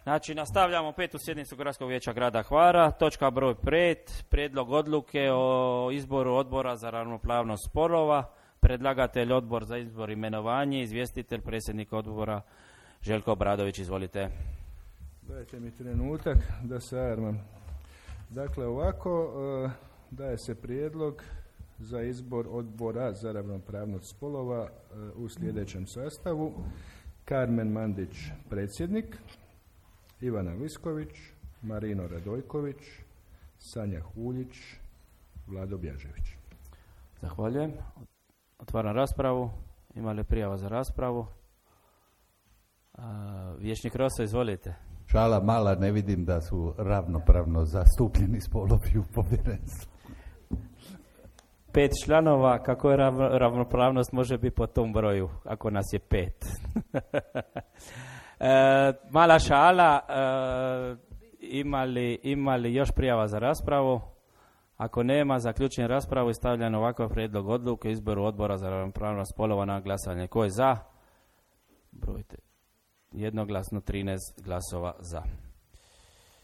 Znači, nastavljamo 5. sjednicu Gradskog vijeća grada Hvara. Točka broj 5. Prijedlog odluke o izboru odbora za ravnopravnost spolova. Predlagatelj odbor za izbor i imenovanje. Izvjestitelj predsjednik odbora Željko Obradović. Izvolite. Dajte mi trenutak da se armam. Dakle, ovako daje se prijedlog za izbor odbora za ravnopravnost spolova u sljedećem sastavu. Karmen Mandić, predsjednik. Ivana Visković, Marino Radojković, Sanja Huljić, Vlado Bjažević. Zahvaljujem. Otvaram raspravu. Ima li prijava za raspravu? Vijećnik Rosa, izvolite. Šala mala, ne vidim da su ravnopravno zastupljeni spolovi u povjerenstvu. 5 članova, kako je ravnopravnost može biti po tom broju, ako nas je 5? Mala šala, ima li još prijava za raspravu? Ako nema, zaključujem raspravu i stavljam ovakav prijedlog odluke o izboru odbora za ravnopravnost spolova na glasanje. Ko je za? Brojite. Jednoglasno 13 glasova za.